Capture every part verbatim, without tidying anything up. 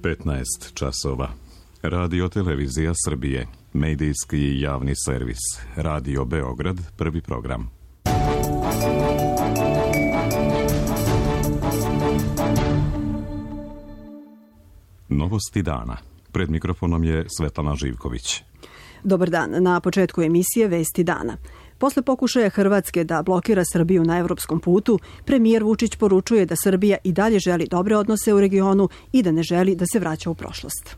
petnaest časova. Radio Televizija Srbije, medijski javni servis. Radio Beograd, prvi program. Novosti dana. Pred mikrofonom je Svetlana Živković. Dobar dan. Na početku emisije Vesti dana. Posle pokušaja Hrvatske da blokira Srbiju na evropskom putu, premijer Vučić poručuje da Srbija i dalje želi dobre odnose u regionu i da ne želi da se vraća u prošlost.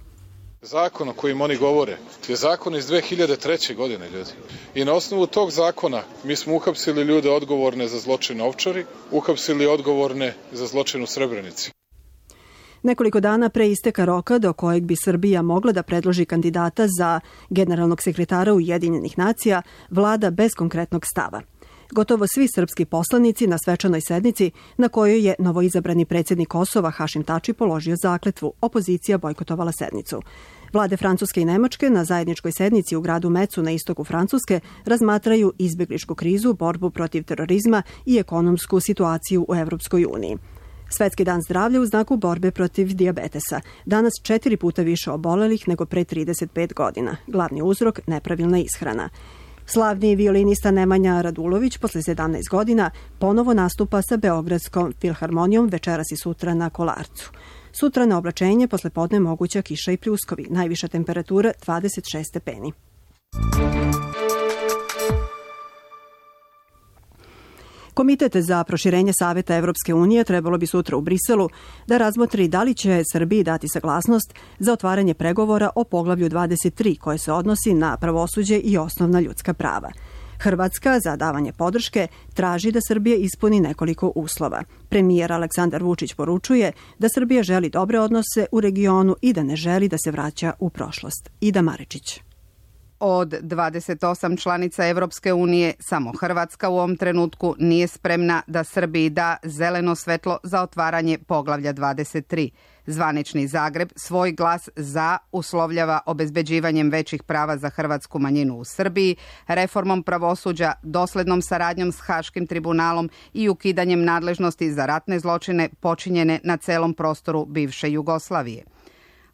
Zakon o kojim oni govore je zakon iz dve hiljade treće. godine, ljudi. I na osnovu tog zakona mi smo uhapsili ljude odgovorne za zločin na Ovčari, uhapsili odgovorne za zločin u Srebrenici. Nekoliko dana pre isteka roka do kojeg bi Srbija mogla da predloži kandidata za generalnog sekretara Ujedinjenih nacija, vlada bez konkretnog stava. Gotovo svi srpski poslanici na svečanoj sednici na kojoj je novoizabrani predsjednik Kosova Hašim Tači položio zakletvu, opozicija bojkotovala sednicu. Vlade Francuske i Nemačke na zajedničkoj sednici u gradu Mecu na istoku Francuske razmatraju izbjegličku krizu, borbu protiv terorizma i ekonomsku situaciju u Evropskoj uniji. Svetski dan zdravlja u znaku borbe protiv dijabetesa. Danas četiri puta više obolelih nego pre trideset pet godina. Glavni uzrok nepravilna ishrana. Slavni violinista Nemanja Radulović posle sedamnaest godina ponovo nastupa sa Beogradskom filharmonijom večeras i sutra na Kolarcu. Sutra na oblačenje, posle podne moguća kiša i pljuskovi. Najviša temperatura dvadeset šest stepeni. Komitet za proširenje Saveta Evropske unije trebalo bi sutra u Briselu da razmotri da li će Srbiji dati saglasnost za otvaranje pregovora o poglavlju dvadeset tri koje se odnosi na pravosuđe i osnovna ljudska prava. Hrvatska za davanje podrške traži da Srbija ispuni nekoliko uslova. Premijer Aleksandar Vučić poručuje da Srbija želi dobre odnose u regionu i da ne želi da se vraća u prošlost. Ida Marečić. Od dvadeset osam članica Evropske unije, samo Hrvatska u ovom trenutku nije spremna da Srbiji da zeleno svetlo za otvaranje poglavlja dvadeset tri. Zvanični Zagreb svoj glas za uslovljava obezbeđivanjem većih prava za hrvatsku manjinu u Srbiji, reformom pravosuđa, doslednom saradnjom s Haškim tribunalom i ukidanjem nadležnosti za ratne zločine počinjene na celom prostoru bivše Jugoslavije.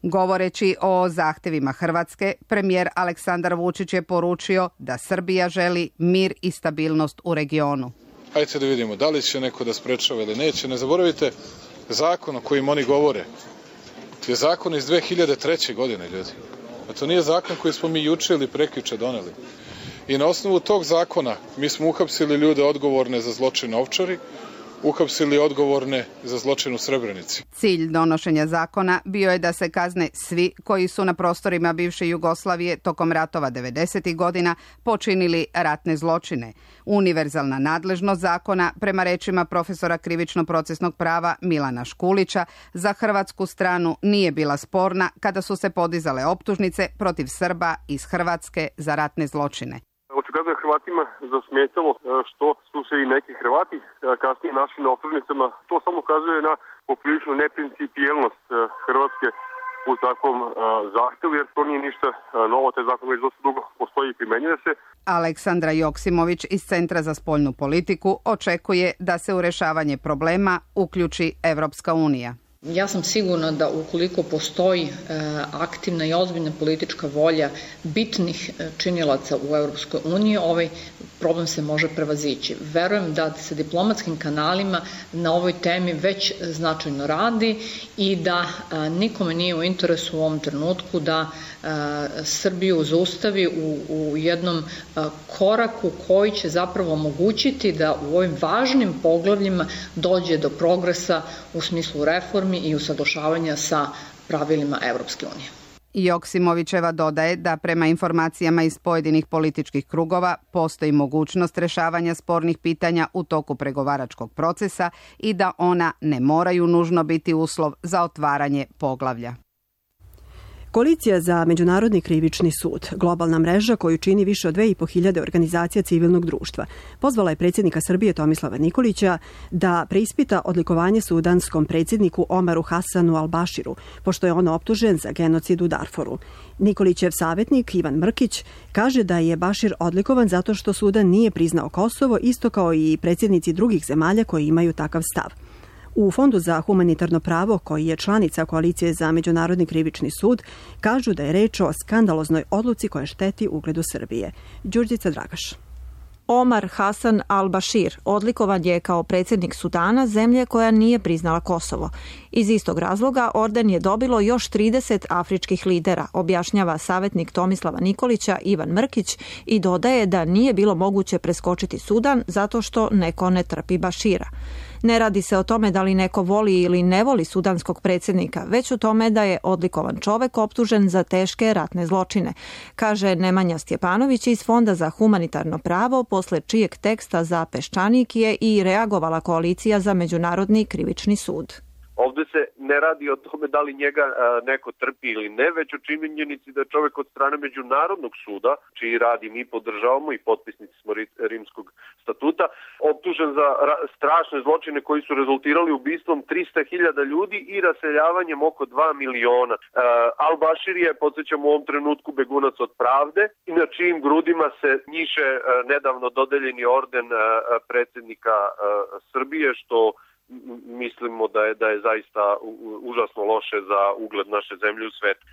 Govoreći o zahtevima Hrvatske, premijer Aleksandar Vučić je poručio da Srbija želi mir i stabilnost u regionu. Hajde da vidimo da li će neko da sprečava ili neće. Ne zaboravite, zakon o kojim oni govore je zakon iz dve hiljade treće. godine, ljudi. A to nije zakon koji smo mi juče ili prekjuče doneli. I na osnovu tog zakona mi smo uhapsili ljude odgovorne za zločin na Ovčari, uhapsili odgovorne za zločin u Srebrenici. Cilj donošenja zakona bio je da se kazne svi koji su na prostorima bivše Jugoslavije tokom ratova devedesetih godina počinili ratne zločine. Univerzalna nadležnost zakona, prema rečima profesora krivično-procesnog prava Milana Škulića, za hrvatsku stranu nije bila sporna kada su se podizale optužnice protiv Srba iz Hrvatske za ratne zločine. Očigledno je Hrvatima zasmetalo što su se i neki Hrvati kasnije našli na optužnicama. To samo ukazuje na popriličnu neprincipijelnost Hrvatske u takvom zahtevu, jer to nije ništa novo, taj zakon već dosta dugo postoji i primenjuje se. Aleksandra Joksimović iz Centra za spoljnu politiku očekuje da se u rešavanje problema uključi Evropska unija. Ja sam sigurna da ukoliko postoji e, aktivna i ozbiljna politička volja bitnih činilaca u Europskoj uniji, ovaj problem se može prevazići. Verujem da se diplomatskim kanalima na ovoj temi već značajno radi i da a, nikome nije u interesu u ovom trenutku da a, Srbiju zaustavi u, u jednom a, koraku koji će zapravo omogućiti da u ovim važnim poglavljima dođe do progresa u smislu reformi i usaglašavanja sa pravilima Evropske unije. Joksimovićeva dodaje da prema informacijama iz pojedinih političkih krugova postoji mogućnost rešavanja spornih pitanja u toku pregovaračkog procesa i da ona ne moraju nužno biti uslov za otvaranje poglavlja. Koalicija za Međunarodni krivični sud, globalna mreža koju čini više od dve i po hiljade organizacija civilnog društva, pozvala je predsjednika Srbije Tomislava Nikolića da preispita odlikovanje sudanskom predsjedniku Omaru Hasanu al-Baširu, pošto je on optužen za genocid u Darforu. Nikolićev savjetnik Ivan Mrkić kaže da je Bašir odlikovan zato što Sudan nije priznao Kosovo, isto kao i predsjednici drugih zemalja koji imaju takav stav. U Fondu za humanitarno pravo, koji je članica Koalicije za međunarodni krivični sud, kažu da je reč o skandaloznoj odluci koja šteti ugledu Srbije. Đurđica Dragaš. Omar Hasan al-Bashir odlikovan je kao predsjednik Sudana, zemlje koja nije priznala Kosovo. Iz istog razloga orden je dobilo još trideset afričkih lidera, objašnjava savjetnik Tomislava Nikolića Ivan Mrkić i dodaje da nije bilo moguće preskočiti Sudan zato što neko ne trpi Bashira. Ne radi se o tome da li neko voli ili ne voli sudanskog predsjednika, već o tome da je odlikovan čovek optužen za teške ratne zločine, kaže Nemanja Stjepanović iz Fonda za humanitarno pravo, posle čijeg teksta za Peščanik je i reagovala Koalicija za međunarodni krivični sud. Ovde se ne radi o tome da li njega neko trpi ili ne, već o činjenici da je čovjek od strane Međunarodnog suda, čiji radi mi podržavamo i potpisnici smo Rimskog statuta, optužen za strašne zločine koji su rezultirali ubistvom trista hiljada ljudi i raseljavanjem oko dva miliona. Al-Bashir je, podsjećam, u ovom trenutku begunac od pravde i na čijim grudima se njiše nedavno dodeljeni orden predsjednika Srbije, što mislimo da je, da je zaista užasno loše za ugled naše zemlje u svetu.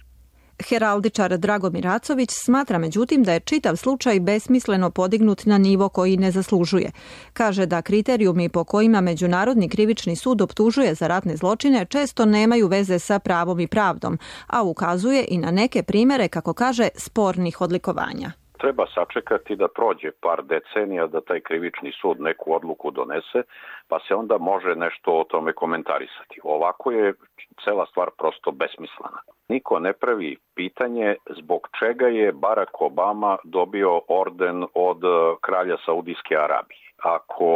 Heraldičar Dragomir Racović smatra međutim da je čitav slučaj besmisleno podignut na nivo koji ne zaslužuje. Kaže da kriterijumi po kojima Međunarodni krivični sud optužuje za ratne zločine često nemaju veze sa pravom i pravdom, a ukazuje i na neke primere, kako kaže, spornih odlikovanja. Treba sačekati da prođe par decenija da taj krivični sud neku odluku donese, pa se onda može nešto o tome komentarisati. Ovako je cela stvar prosto besmislena. Niko ne pravi pitanje zbog čega je Barack Obama dobio orden od kralja Saudijske Arabije. Ako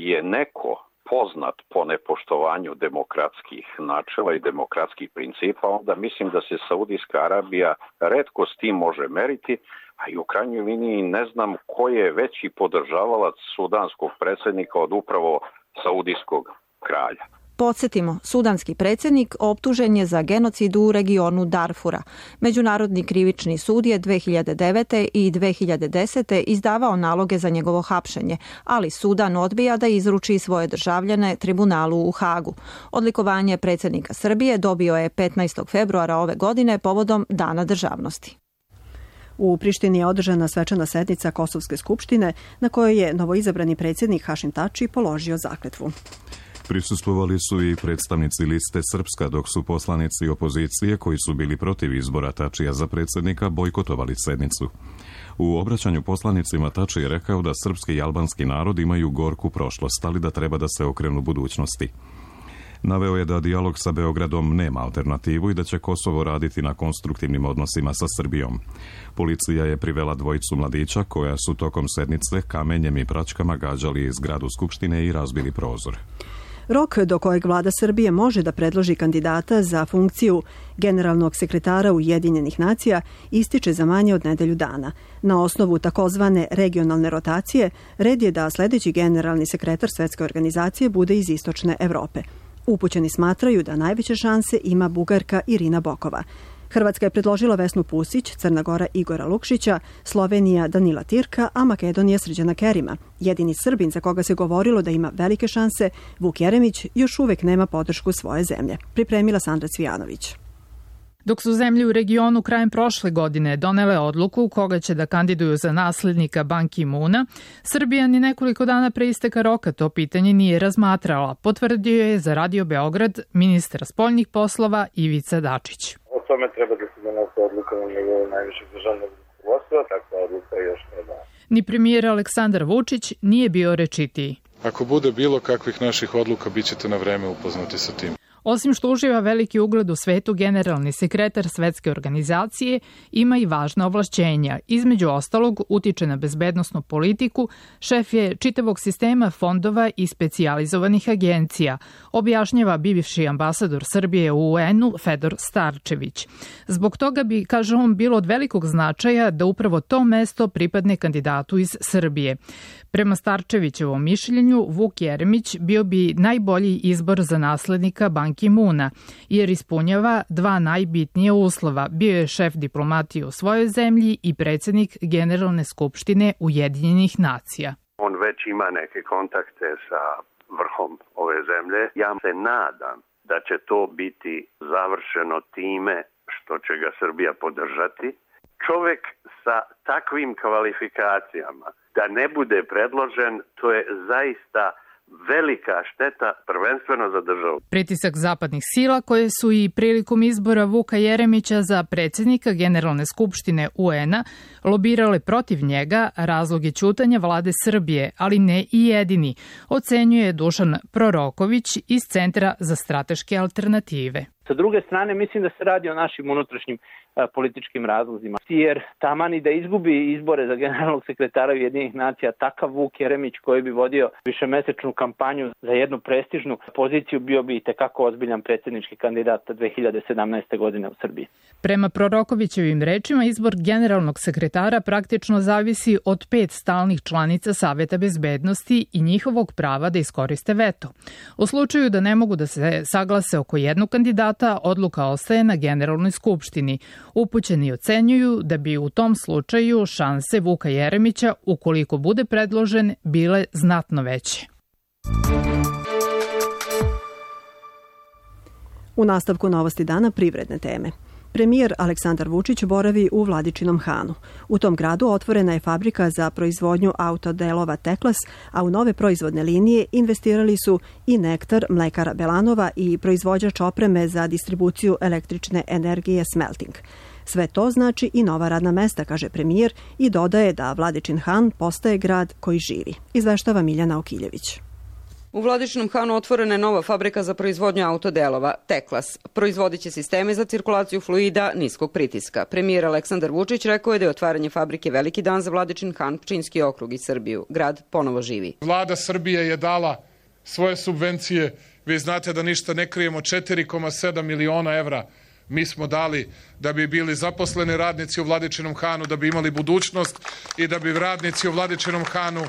je neko poznat po nepoštovanju demokratskih načela i demokratskih principa, onda mislim da se Saudijska Arabija retko s tim može meriti, a i u krajnjoj liniji ne znam ko je veći podržavalac sudanskog predsjednika od upravo saudijskog kralja. Podsjetimo, sudanski predsjednik optužen je za genocid u regionu Darfura. Međunarodni krivični sud je dve hiljade devete i dve hiljade desete izdavao naloge za njegovo hapšenje, ali Sudan odbija da izruči svoje državljane tribunalu u Hagu. Odlikovanje predsjednika Srbije dobio je petnaestog februara ove godine povodom Dana državnosti. U Prištini je održana svečana sednica Kosovske skupštine na kojoj je novoizabrani predsjednik Hašim Tači položio zakletvu. Prisustvovali su i predstavnici liste Srpska, dok su poslanici opozicije koji su bili protiv izbora Tačija za predsjednika bojkotovali sednicu. U obraćanju poslanicima Tači je rekao da srpski i albanski narod imaju gorku prošlost, ali da treba da se okrenu budućnosti. Naveo je da dijalog sa Beogradom nema alternativu i da će Kosovo raditi na konstruktivnim odnosima sa Srbijom. Policija je privela dvojicu mladića koja su tokom sednice kamenjem i praćkama gađali zgradu Skupštine i razbili prozor. Rok do kojeg vlada Srbije može da predloži kandidata za funkciju generalnog sekretara Ujedinjenih nacija ističe za manje od nedelju dana. Na osnovu takozvane regionalne rotacije, red je da sljedeći generalni sekretar Svetske organizacije bude iz istočne Evrope. Upućeni smatraju da najveće šanse ima Bugarka Irina Bokova. Hrvatska je predložila Vesnu Pusić, Crna Gora Igora Lukšića, Slovenija Danila Tirka, a Makedonija Srđana Kerima. Jedini Srbin za koga se govorilo da ima velike šanse, Vuk Jeremić, još uvek nema podršku svoje zemlje. Pripremila Sandra Cvijanović. Dok su zemlje u regionu krajem prošle godine donele odluku koga će da kandiduju za naslednika Ban Ki-moona, Srbija ni nekoliko dana pre isteka roka to pitanje nije razmatrala, potvrdio je za Radio Beograd ministar spoljnih poslova Ivica Dačić. O tome treba da se donose odluka na nivou najvišeg državnog rukovodstva, takva odluka još ne da. Ni premijer Aleksandar Vučić nije bio rečitiji. Ako bude bilo kakvih naših odluka, bit ćete na vreme upoznati sa tim. Osim što uživa veliki ugled u svetu, generalni sekretar Svetske organizacije ima i važna ovlašćenja. Između ostalog, utiče na bezbednosnu politiku, šef je čitavog sistema fondova i specijalizovanih agencija, objašnjava bivši ambasador Srbije u U N-u Fedor Starčević. Zbog toga bi, kaže on, bilo od velikog značaja da upravo to mesto pripadne kandidatu iz Srbije. Prema Starčevićevom mišljenju, Vuk Jeremić bio bi najbolji izbor za naslednika Ban Ki-moona, jer ispunjava dva najbitnija uslova. Bio je šef diplomatije u svojoj zemlji i predsjednik Generalne skupštine Ujedinjenih nacija. On već ima neke kontakte sa vrhom ove zemlje. Ja se nadam da će to biti završeno time što će ga Srbija podržati. Čovjek sa takvim kvalifikacijama da ne bude predložen, to je zaista velika šteta, prvenstveno za državu. Pritisak zapadnih sila koje su i prilikom izbora Vuka Jeremića za predsjednika Generalne skupštine U N a lobirale protiv njega, razlog je ćutanja vlade Srbije, ali ne i jedini, ocenjuje Dušan Proroković iz Centra za strateške alternative. Sa druge strane, mislim da se radi o našim unutrašnjim a, političkim razlozima. Jer taman i da izgubi izbore za generalnog sekretara Ujedinjenih nacija, takav Vuk Jeremić koji bi vodio višemesečnu kampanju za jednu prestižnu poziciju bio bi itekako ozbiljan predsjednički kandidat dve hiljade sedamnaeste. godine u Srbiji. Prema Prorokovićevim rečima, izbor generalnog sekretara praktično zavisi od pet stalnih članica Saveta bezbednosti i njihovog prava da iskoriste veto. U slučaju da ne mogu da se saglase oko jednog kandidata, odluka ostaje na Generalnoj skupštini. Upućeni ocenjuju da bi u tom slučaju šanse Vuka Jeremića, ukoliko bude predložen, bile znatno veće. U nastavku novosti dana privredne teme. Premijer Aleksandar Vučić boravi u Vladičinom Hanu. U tom gradu otvorena je fabrika za proizvodnju autodelova Teklas, a u nove proizvodne linije investirali su i Nektar, mlekara Belanova i proizvođač opreme za distribuciju električne energije Smelting. Sve to znači i nova radna mesta, kaže premijer, i dodaje da Vladičin Han postaje grad koji živi. Izveštava Miljana Okiljević. U Vladičinom Hanu otvorena je nova fabrika za proizvodnju autodelova, Teklas. Proizvodit će sisteme za cirkulaciju fluida niskog pritiska. Premijer Aleksandar Vučić rekao je da je otvaranje fabrike veliki dan za Vladičin Han, Pčinjski okrug i Srbiju. Grad ponovo živi. Vlada Srbije je dala svoje subvencije. Vi znate da ništa ne krijemo, četiri zarez sedam miliona evra mi smo dali da bi bili zaposleni radnici u Vladičinom Hanu, da bi imali budućnost i da bi radnici u Vladičinom Hanu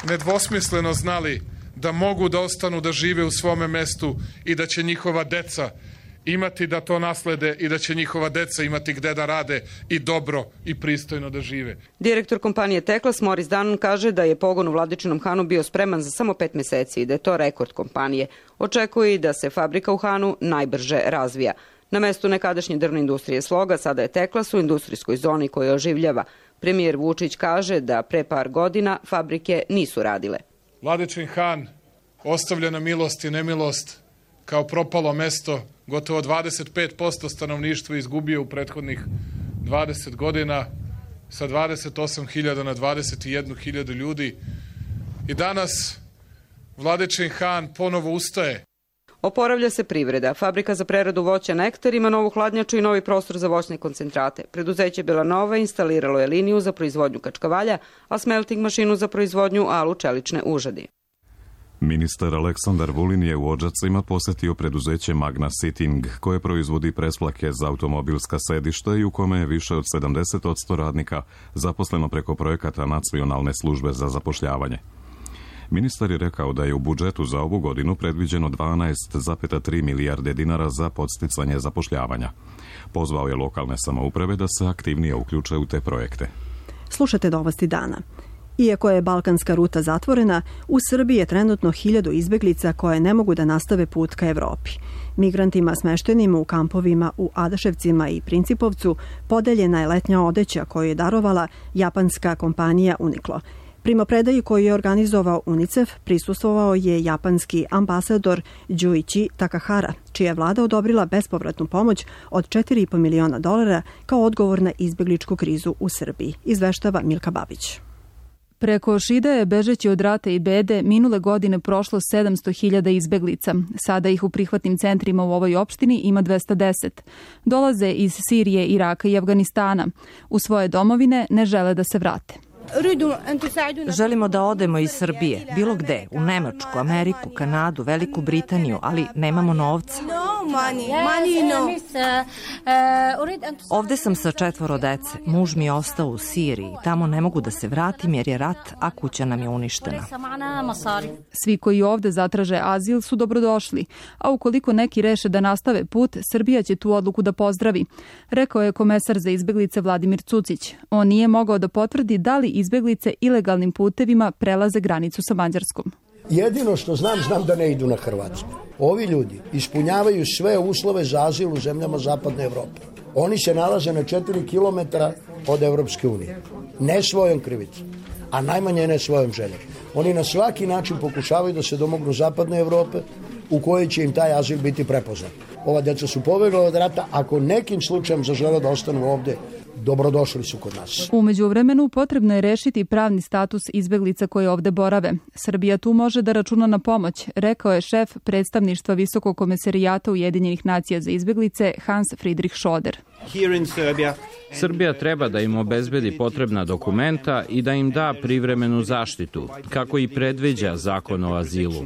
nedvosmisleno znali da mogu da ostanu da žive u svome mestu i da će njihova deca imati da to naslede i da će njihova deca imati gde da rade i dobro i pristojno da žive. Direktor kompanije Teklas Moris Danon kaže da je pogon u Vladičinom Hanu bio spreman za samo pet meseci i da je to rekord kompanije. Očekuje i da se fabrika u Hanu najbrže razvija. Na mestu nekadašnje drvne industrije Sloga sada je Teklas u industrijskoj zoni koja oživljava. Premijer Vučić kaže da pre par godina fabrike nisu radile. Vladičin Han ostavlja na milost i nemilost kao propalo mesto. Gotovo dvadeset pet posto stanovništva izgubio u prethodnih dvadeset godina, sa dvadeset osam hiljada na dvadeset jednu hiljadu ljudi. I danas Vladičin Han ponovo ustaje. Oporavlja se privreda. Fabrika za preradu voća Nektar ima novu hladnjaču i novi prostor za voćne koncentrate. Preduzeće Belanova instaliralo je liniju za proizvodnju kačkavalja, a smelting mašinu za proizvodnju alu čelične užadi. Ministar Aleksandar Vulin je u Odžacima posetio preduzeće Magna Sitting, koje proizvodi presplake za automobilska sedišta i u kome je više od sedamdeset posto radnika zaposleno preko projekata Nacionalne službe za zapošljavanje. Ministar je rekao da je u budžetu za ovu godinu predviđeno dvanaest zarez tri milijarde dinara za podsticanje zapošljavanja. Pozvao je lokalne samouprave da se aktivnije uključe u te projekte. Slušate novosti dana. Iako je balkanska ruta zatvorena, u Srbiji je trenutno hiljadu izbeglica koje ne mogu da nastave put ka Evropi. Migrantima smeštenim u kampovima u Adaševcima i Principovcu podeljena je letnja odeća koju je darovala japanska kompanija Uniqlo. Primopredaji koju je organizovao UNICEF prisustvovao je japanski ambasador Juichi Takahara, čija je vlada odobrila bespovratnu pomoć od četiri i po miliona dolara kao odgovor na izbegličku krizu u Srbiji, izveštava Milka Babić. Preko Šidaje, bežeći od rata i bede, minule godine prošlo sedamsto hiljada izbeglica. Sada ih u prihvatnim centrima u ovoj opštini ima dvesta deset. Dolaze iz Sirije, Iraka i Afganistana. U svoje domovine ne žele da se vrate. Želimo da odemo iz Srbije, bilo gde, u Nemačku, Ameriku, Kanadu, Veliku Britaniju, ali nemamo novca. Ovde sam sa četvoro dece, muž mi je ostao u Siriji, tamo ne mogu da se vratim jer je rat, a kuća nam je uništena. Svi koji ovde zatraže azil su dobrodošli, a ukoliko neki reše da nastave put, Srbija će tu odluku da pozdravi, rekao je komesar za izbeglice Vladimir Cucić. On nije mogao da potvrdi da li izbeglice ilegalnim putevima prelaze granicu sa Mađarskom. Jedino što znam, znam da ne idu na Hrvatsku. Ovi ljudi ispunjavaju sve uslove za azil u zemljama Zapadne Evrope. Oni se nalaze na četiri kilometra od Evropske unije. Ne svojom krivicom, a najmanje ne svojom željom. Oni na svaki način pokušavaju da se domognu Zapadne Evrope u kojoj će im taj azil biti prepoznat. Ova djeca su pobegla od rata, ako nekim slučajem zažele da ostanu ovdje, dobrodošli su kod nas. U međuvremenu potrebno je rešiti pravni status izbeglica koje ovde borave. Srbija tu može da računa na pomoć, rekao je šef predstavništva Visokog komesarijata Ujedinjenih nacija za izbeglice Hans Friedrich Schoder. Srbija treba da im obezbedi potrebna dokumenta i da im da privremenu zaštitu, kako i predviđa zakon o azilu.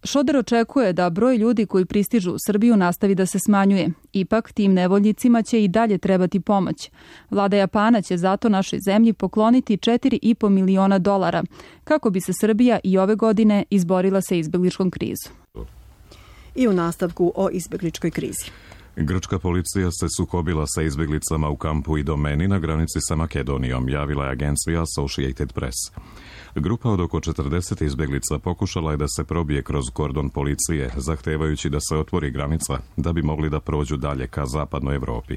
Šoder očekuje da broj ljudi koji pristižu u Srbiju nastavi da se smanjuje. Ipak, tim nevoljnicima će i dalje trebati pomoć. Vlada Japana će zato našoj zemlji pokloniti četiri i po miliona dolara, kako bi se Srbija i ove godine izborila sa izbegličkom krizom. I u nastavku o izbegličkoj krizi. Grčka policija se sukobila sa izbjeglicama u kampu Idomeni na granici sa Makedonijom, javila je agencija Associated Press. Grupa od oko četrdeset izbjeglica pokušala je da se probije kroz kordon policije, zahtevajući da se otvori granica da bi mogli da prođu dalje ka zapadnoj Evropi.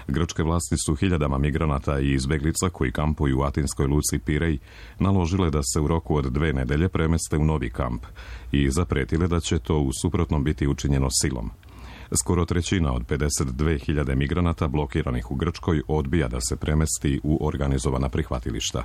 Grčke vlasti su hiljadama migranata i izbjeglica koji kampuju u atinskoj luci Pirej naložile da se u roku od dve nedelje premeste u novi kamp i zapretile da će to u suprotnom biti učinjeno silom. Skoro trećina od pedeset dve hiljade migranata blokiranih u Grčkoj odbija da se premesti u organizovana prihvatilišta.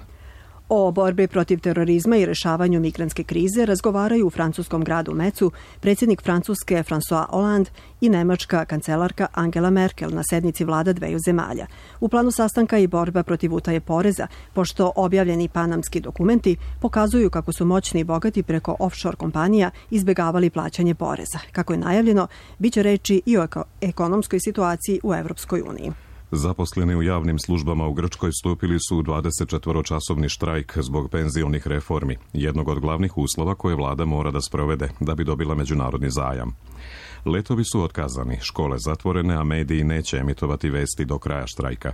O borbi protiv terorizma i rešavanju migrantske krize razgovaraju u francuskom gradu Mecu predsjednik Francuske François Hollande i nemačka kancelarka Angela Merkel na sednici vlada dveju zemalja. U planu sastanka i borba protiv utaje poreza, pošto objavljeni panamski dokumenti pokazuju kako su moćni i bogati preko offshore kompanija izbjegavali plaćanje poreza. Kako je najavljeno, bit će reči i o ekonomskoj situaciji u Evropskoj uniji. Zaposleni u javnim službama u Grčkoj stupili su u dvadesetčetvoročasovni štrajk zbog penzionih reformi, jednog od glavnih uslova koje vlada mora da sprovede da bi dobila međunarodni zajam. Letovi su otkazani, škole zatvorene, a mediji neće emitovati vesti do kraja štrajka.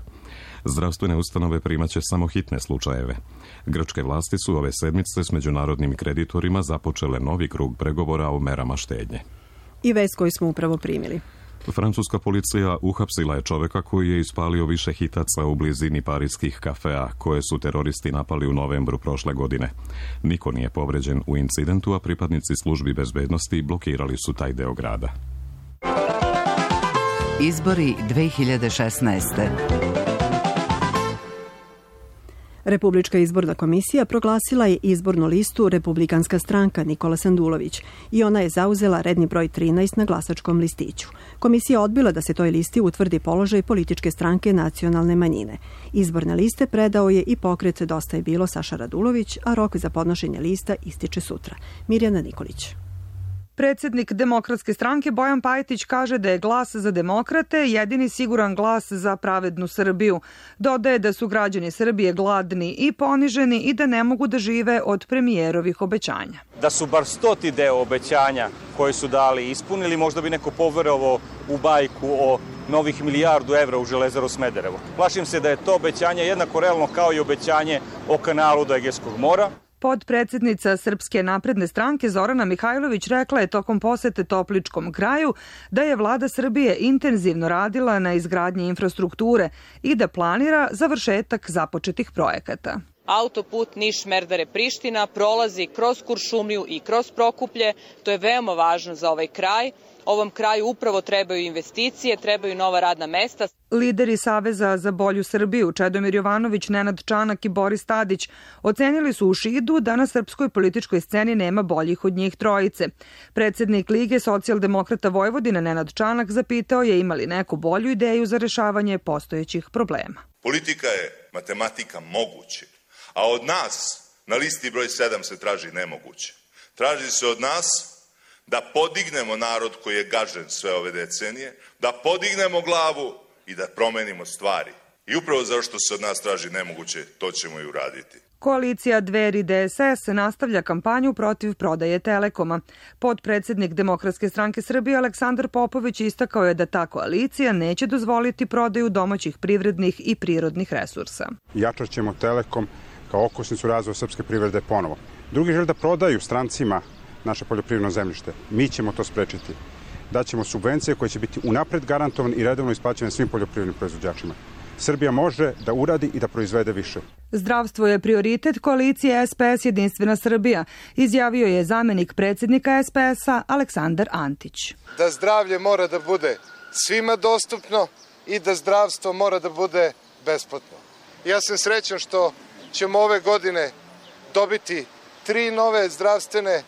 Zdravstvene ustanove primaće samo hitne slučajeve. Grčke vlasti su ove sedmice s međunarodnim kreditorima započele novi krug pregovora o merama štednje. I vest koju smo upravo primili. Francuska policija uhapsila je čoveka koji je ispalio više hitaca u blizini parijskih kafea koje su teroristi napali u novembru prošle godine. Niko nije povređen u incidentu, a pripadnici službi bezbednosti blokirali su taj deo grada. Izbori dve hiljade šesnaeste. Republička izborna komisija proglasila je izbornu listu Republikanska stranka Nikola Sandulović i ona je zauzela redni broj trinaest na glasačkom listiću. Komisija odbila da se toj listi utvrdi položaj političke stranke nacionalne manjine. Izborne liste predao je i pokret Dosta je bilo Saša Radulović, a rok za podnošenje lista ističe sutra. Mirjana Nikolić. Predsjednik Demokratske stranke Bojan Pajtić kaže da je glas za demokrate jedini siguran glas za pravednu Srbiju. Dodaje da su građani Srbije gladni i poniženi i da ne mogu da žive od premijerovih obećanja. Da su bar stoti deo obećanja koje su dali ispunili, možda bi neko poverovao u bajku o novih milijardu evra u Železaru Smederevo. Plašim se da je to obećanje jednako realno kao i obećanje o kanalu do Egejskog mora. Podpredsednica Srpske napredne stranke Zorana Mihajlović rekla je tokom posete Topličkom kraju da je vlada Srbije intenzivno radila na izgradnji infrastrukture i da planira završetak započetih projekata. Autoput Niš-Merdare-Priština prolazi kroz Kuršumliju i kroz Prokuplje. To je veoma važno za ovaj kraj. Ovom kraju upravo trebaju investicije, trebaju nova radna mesta. Lideri Saveza za bolju Srbiju, Čedomir Jovanović, Nenad Čanak i Boris Tadić, ocenili su u Šidu da na srpskoj političkoj sceni nema boljih od njih trojice. Predsjednik Lige socijaldemokrata Vojvodine Nenad Čanak zapitao je ima li neku bolju ideju za rešavanje postojećih problema. Politika je matematika moguće, a od nas na listi broj sedam se traži nemoguće. Traži se od nas da podignemo narod koji je gažen sve ove decenije, da podignemo glavu i da promenimo stvari. I upravo zašto se od nas traži nemoguće, to ćemo i uraditi. Koalicija Dveri D S S nastavlja kampanju protiv prodaje Telekoma. Podpredsednik Demokratske stranke Srbije Aleksandar Popović istakao je da ta koalicija neće dozvoliti prodaju domaćih privrednih i prirodnih resursa. Jačat ćemo Telekom kao okosnicu razvoja srpske privrede ponovo. Drugi žele da prodaju strancima naše poljoprivredno zemljište. Mi ćemo to sprečiti. Daćemo subvencije koje će biti unapred garantovane i redovno isplaćene svim poljoprivrednim proizvođačima. Srbija može da uradi i da proizvede više. Zdravstvo je prioritet koalicije S P S Jedinstvena Srbija, izjavio je zamenik predsjednika S P S-a Aleksandar Antić. Da zdravlje mora da bude svima dostupno i da zdravstvo mora da bude besplatno. Ja sam srećan što ćemo ove godine dobiti tri nove zdravstvene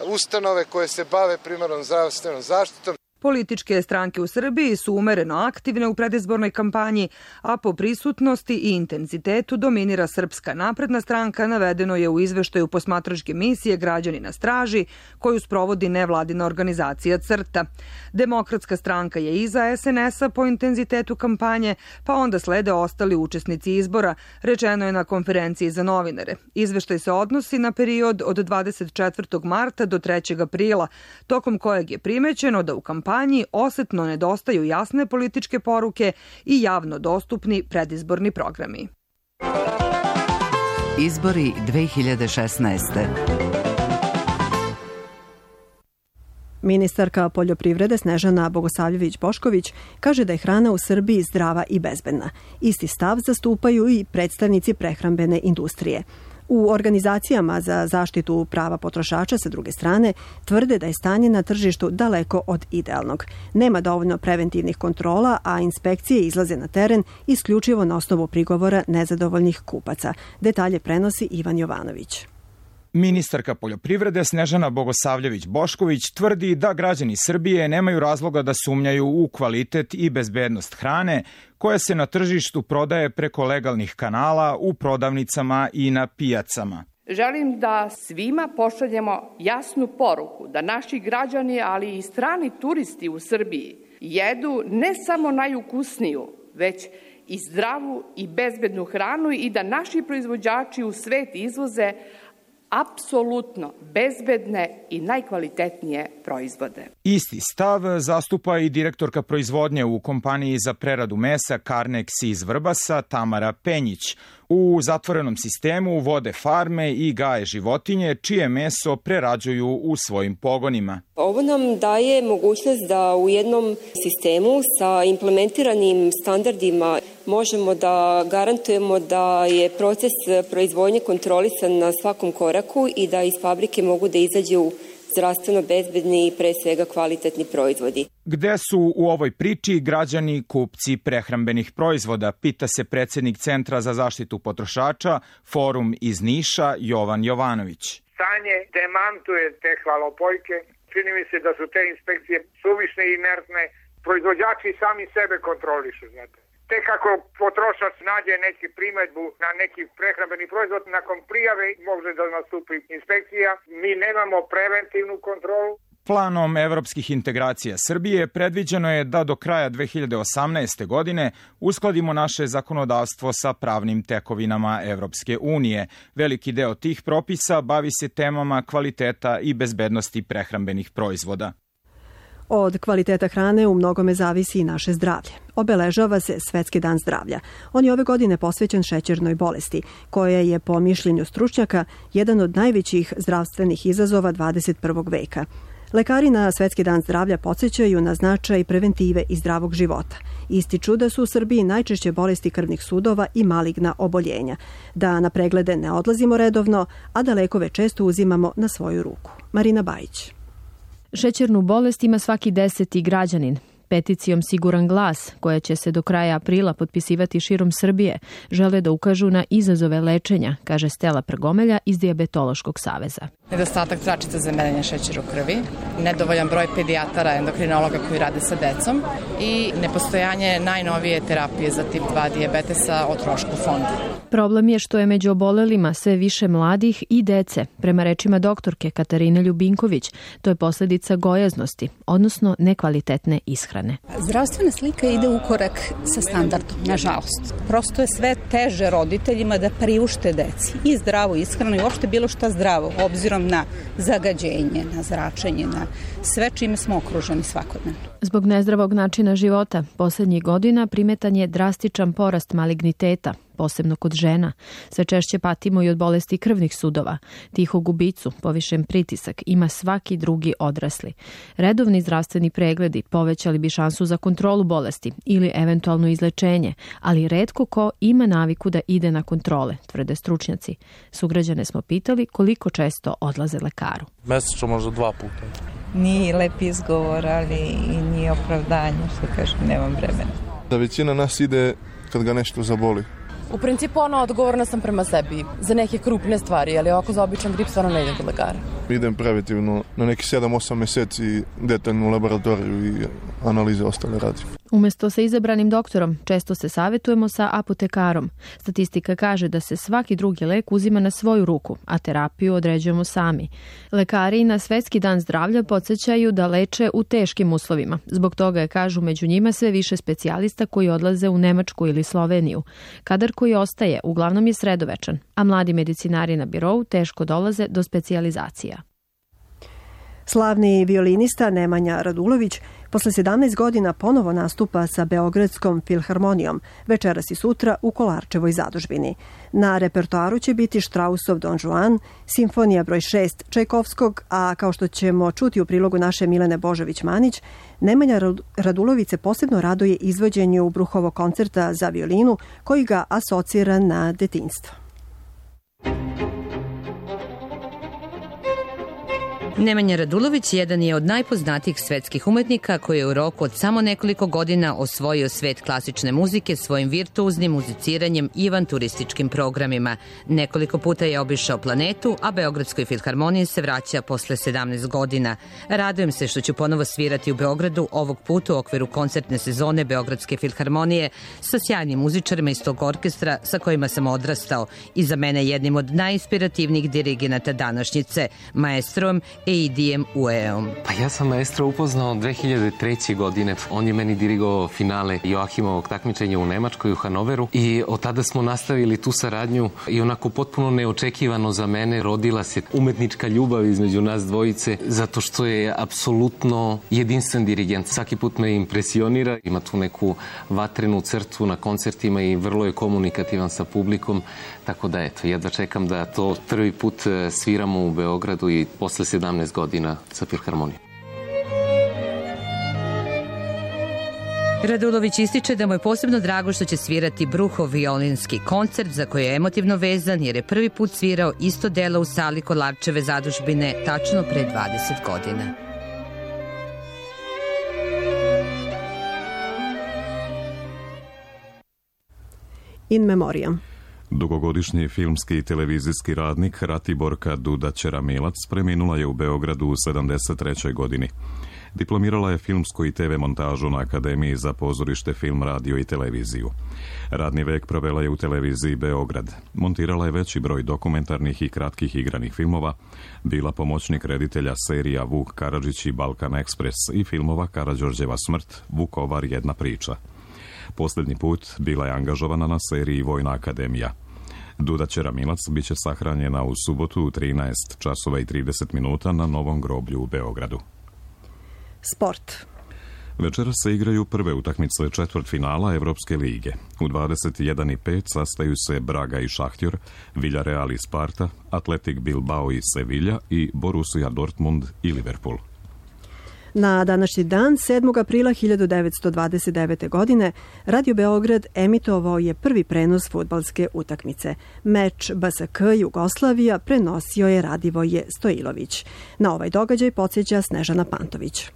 ustanove koje se bave primarnom zdravstvenom zaštitom. Političke stranke u Srbiji su umereno aktivne u predizbornoj kampanji, a po prisutnosti i intenzitetu dominira Srpska napredna stranka, navedeno je u izveštaju posmatračke misije Građani na straži, koju sprovodi nevladina organizacija CRTA. Demokratska stranka je iza S N S-a po intenzitetu kampanje, pa onda slede ostali učesnici izbora, rečeno je na konferenciji za novinare. Izveštaj se odnosi na period od dvadeset četvrtog marta do trećeg aprila, tokom kojeg je primećeno da u kampanji osetno nedostaju jasne političke poruke i javno dostupni predizborni programi. Izbori dve hiljade šesnaeste. Ministarka poljoprivrede Snežana Bogosavljević-Bošković kaže da je hrana u Srbiji zdrava i bezbedna. Isti stav zastupaju i predstavnici prehrambene industrije. U organizacijama za zaštitu prava potrošača sa druge strane tvrde da je stanje na tržištu daleko od idealnog. Nema dovoljno preventivnih kontrola, a inspekcije izlaze na teren isključivo na osnovu prigovora nezadovoljnih kupaca. Detalje prenosi Ivan Jovanović. Ministarka poljoprivrede Snežana Bogosavljević-Bošković tvrdi da građani Srbije nemaju razloga da sumnjaju u kvalitet i bezbednost hrane koja se na tržištu prodaje preko legalnih kanala u prodavnicama i na pijacama. Želim da svima pošaljemo jasnu poruku da naši građani, ali i strani turisti u Srbiji jedu ne samo najukusniju, već i zdravu i bezbednu hranu i da naši proizvođači u svet izvoze apsolutno bezbedne i najkvalitetnije proizvode. Isti stav zastupa i direktorka proizvodnje u kompaniji za preradu mesa Karnex iz Vrbasa Tamara Penjić. U zatvorenom sistemu vode farme i gaje životinje čije meso prerađuju u svojim pogonima. Ovo nam daje mogućnost da u jednom sistemu sa implementiranim standardima možemo da garantujemo da je proces proizvodnje kontrolisan na svakom koraku i da iz fabrike mogu da izađu zdravstveno bezbedni i pre svega kvalitetni proizvodi. Gde su u ovoj priči građani kupci prehrambenih proizvoda, pita se predsjednik Centra za zaštitu potrošača, Forum iz Niša, Jovan Jovanović. Stanje demantuje te hvalopojke. Čini mi se da su te inspekcije suvišne i inertne. Proizvođači sami sebe kontrolišu, znate. Tek ako potrošač nađe neki primetbu na neki prehrambeni proizvod, nakon prijave može da nastupi inspekcija. Mi nemamo preventivnu kontrolu. Planom evropskih integracija Srbije predviđeno je da do kraja dve hiljade osamnaeste. godine uskladimo naše zakonodavstvo sa pravnim tekovinama Evropske unije. Veliki deo tih propisa bavi se temama kvaliteta i bezbednosti prehrambenih proizvoda. Od kvaliteta hrane u mnogome zavisi i naše zdravlje. Obeležava se Svetski dan zdravlja. On je ove godine posvećen šećernoj bolesti, koja je po mišljenju stručnjaka jedan od najvećih zdravstvenih izazova dvadeset prvog veka. Lekari na Svetski dan zdravlja podsjećaju na značaj preventive i zdravog života. Ističu da su u Srbiji najčešće bolesti krvnih sudova i maligna oboljenja, da na preglede ne odlazimo redovno, a da lekove često uzimamo na svoju ruku. Marina Bajić. Šećernu bolest ima svaki deseti građanin. Peticijom Siguran glas, koja će se do kraja aprila potpisivati širom Srbije, žele da ukažu na izazove lečenja, kaže Stela Prgomelja iz Dijabetološkog saveza. Nedostatak tračica za merenje šećera u krvi, nedovoljan broj pedijatara, endokrinologa koji rade sa decom i nepostojanje najnovije terapije za tip dva dijabetesa o trošku fonda. Problem je što je među obolelima sve više mladih i dece. Prema rečima doktorke Katarine Ljubinković, to je posledica gojaznosti, odnosno nekvalitetne ishrane. Zdravstvena slika ide u korak sa standardom, nažalost. Prosto je sve teže roditeljima da priušte deci i zdravu ishranu i uopšte bilo šta zdravo, obzirom na zagađenje, na zračenje, na sve čime smo okruženi svakodnevno. Zbog nezdravog načina života, poslednjih godina primetan je drastičan porast maligniteta, posebno kod žena. Sve češće patimo i od bolesti krvnih sudova. Tihu gubicu, povišen pritisak ima svaki drugi odrasli. Redovni zdravstveni pregledi povećali bi šansu za kontrolu bolesti ili eventualno izlečenje, ali retko ko ima naviku da ide na kontrole, tvrde stručnjaci. Sugrađane smo pitali koliko često odlaze lekaru. Mesečno možda dva puta. Nije lep izgovor, ali i nije opravdanje, što kažem, nemam vremena. Da većina nas ide kad ga nešto zaboli. U principu ono, odgovorna sam prema sebi za neke krupne stvari, ali ovako za običan grip stvarno ne idem kod lekara. Idem preventivno na neki sedam osam meseci detaljnu laboratoriju i analize ostale radim. Umesto sa izabranim doktorom, često se savjetujemo sa apotekarom. Statistika kaže da se svaki drugi lek uzima na svoju ruku, a terapiju određujemo sami. Lekari na Svetski dan zdravlja podsjećaju da leče u teškim uslovima. Zbog toga je, kažu, među njima sve više specijalista koji odlaze u Nemačku ili Sloveniju. Kadar koji ostaje uglavnom je sredovečan, a mladi medicinari na birou teško dolaze do specijalizacija. Slavni violinista Nemanja Radulović posle sedamnaest godina ponovo nastupa sa Beogradskom filharmonijom, večeras i sutra u Kolarčevoj zadužbini. Na repertoaru će biti Štrausov Don Juan, simfonija broj šest Čajkovskog, a kao što ćemo čuti u prilogu naše Milene Božović-Manić, Nemanja Radulović se posebno raduje izvođenju Bruhovog koncerta za violinu koji ga asocira na detinjstvo. Nemanja Radulović jedan je od najpoznatijih svetskih umetnika koji je u roku od samo nekoliko godina osvojio svet klasične muzike svojim virtuoznim muziciranjem i avanturističkim programima. Nekoliko puta je obišao planetu, a Beogradskoj filharmoniji se vraća posle sedamnaest godina. Radujem se što ću ponovo svirati u Beogradu, ovog puta u okviru koncertne sezone Beogradske filharmonije sa sjajnim muzičarima iz tog orkestra sa kojima sam odrastao i za mene jednim od najinspirativnijih dirigenata današnjice, maestrom Eidijem Ueom. Pa ja sam maestro upoznao dve hiljade treće. godine. On je meni dirigovao finale Joachimovog takmičenja u Nemačkoj, u Hanoveru, i od tada smo nastavili tu saradnju i onako potpuno neočekivano za mene rodila se umetnička ljubav između nas dvojice, zato što je apsolutno jedinstven dirigent. Svaki put me impresionira, ima tu neku vatrenu crtu na koncertima i vrlo je komunikativan sa publikom, tako da eto, jedva čekam da to prvi put sviramo u Beogradu i posle sedamnaest godina sa filharmonijom. Radulović ističe da mu je posebno drago što će svirati Bruhov violinski koncert za koji je emotivno vezan jer je prvi put svirao isto delo u sali Kolarčeve zadužbine tačno pre dvadeset godina. In memoriam. Dugogodišnji filmski i televizijski radnik Ratiborka Duda Ćeramilac preminula je u Beogradu u sedamdeset trećoj. godini. Diplomirala je filmsku i te ve montažu na Akademiji za pozorište, film, radio i televiziju. Radni vek provela je u televiziji Beograd. Montirala je veći broj dokumentarnih i kratkih igranih filmova, bila pomoćnik reditelja serija Vuk Karadžić i Balkan Ekspres i filmova Karađorđeva smrt, Vukovar, jedna priča. Posljednji put bila je angažovana na seriji Vojna akademija. Duda Ćeramilac biće sahranjena u subotu u trinaest časova i trideset minuta na Novom groblju u Beogradu. Sport. Večera se igraju prve utakmice četvrtfinala Evropske lige. U dvadeset jedan i pet sastaju se Braga i Šahtjor, Villarreal i Sparta, Atletik Bilbao i Sevilla i Borussia Dortmund i Liverpool. Na današnji dan, sedmog aprila hiljadu devetsto dvadeset devete. godine, Radio Beograd emitovao je prvi prenos fudbalske utakmice. Meč B S K Jugoslavija prenosio je Radivoje Stojilović. Na ovaj događaj podsjeća Snežana Pantović.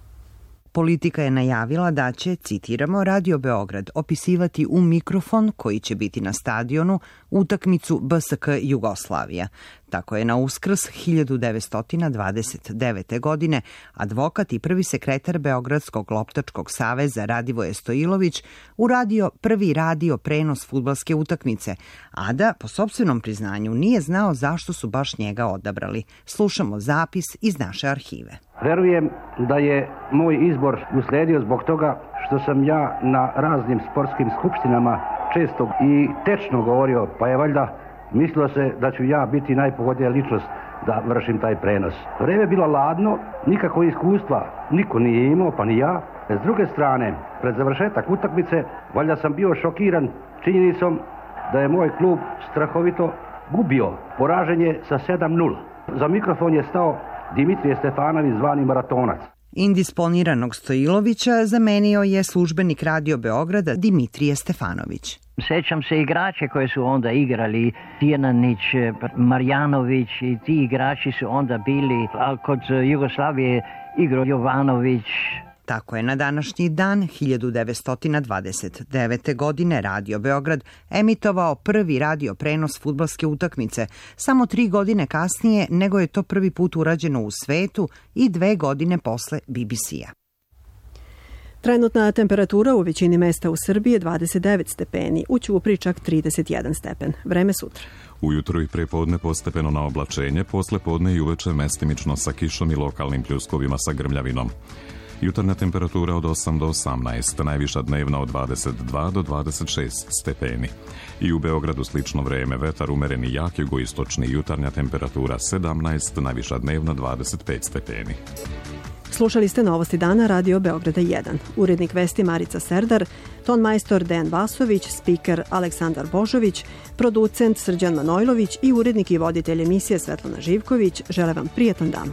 Politika je najavila da će, citiramo, Radio Beograd opisivati u mikrofon koji će biti na stadionu utakmicu B S K Jugoslavija. Tako je na Uskrs hiljadu devetsto dvadeset devete. godine advokat i prvi sekretar Beogradskog loptačkog saveza Radivoje Stojilović uradio prvi radio prenos fudbalske utakmice, a da, po sopstvenom priznanju, nije znao zašto su baš njega odabrali. Slušamo zapis iz naše arhive. Verujem da je moj izbor usledio zbog toga što sam ja na raznim sportskim skupštinama često i tečno govorio, pa je valjda mislilo se da ću ja biti najpogodnija ličnost da vršim taj prenos. Vreme je bilo ladno, nikakvo iskustva niko nije imao, pa ni ja. S druge strane, pred završetak utakmice, valjda sam bio šokiran činjenicom da je moj klub strahovito gubio. Poražen je sa sedam nula. Za mikrofon je stao Dimitrije Stefanović, zvani Maratonac. Indisponiranog Stojilovića zamenio je službenik Radio Beograda Dimitrije Stefanović. Sećam se igrače koje su onda igrali, Tijanić, Marjanović i ti igrači su onda bili, a kod Jugoslavije igrao Jovanović. Tako je na današnji dan hiljadu devetsto dvadeset devete. godine Radio Beograd emitovao prvi radio prenos fudbalske utakmice, samo tri godine kasnije nego je to prvi put urađeno u svetu i dve godine posle B B C-a. Trenutna temperatura u većini mesta u Srbiji je dvadeset devet stepeni, u Ćupriji čak trideset jedan stepen. Vreme sutra. Ujutro i prepodne postepeno na oblačenje, posle podne i uveče mestimično sa kišom i lokalnim pljuskovima sa grmljavinom. Jutarnja temperatura od osam do osamnaest, najviša dnevna od dvadeset dva do dvadeset šest stepeni. I u Beogradu slično vreme, vetar umeren i jak jugoistočni, jutarnja temperatura sedamnaest, najviša dnevna dvadeset pet stepeni. Slušali ste Novosti dana Radio Beograda jedan. Urednik vesti Marica Serdar, ton majstor Dejan Vasović, spiker Aleksandar Božović, producent Srđan Manojlović i urednik i voditelj emisije Svetlana Živković žele vam prijatan dan.